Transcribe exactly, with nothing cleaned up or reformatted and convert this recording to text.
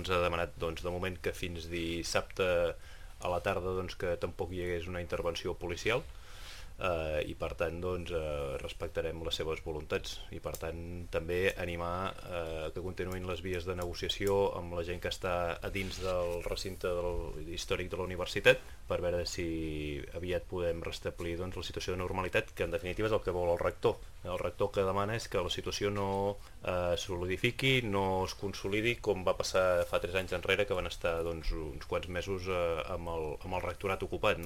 ens ha demanat doncs, de moment que fins dissabte a la tarda doncs, que tampoc hi hagués una intervenció policial. Uh, i per tant doncs, uh, respectarem les seves voluntats i per tant també animar uh, que continuïn les vies de negociació amb la gent que està a dins del recinte del, històric de la universitat per veure si aviat podem restablir doncs, la situació de normalitat, que en definitiva és el que vol el rector. El rector que demana és que la situació no uh, solidifiqui, no es consolidi com va passar fa tres anys enrere, que van estar doncs, uns quants mesos uh, amb, el, amb el rectorat ocupat, no?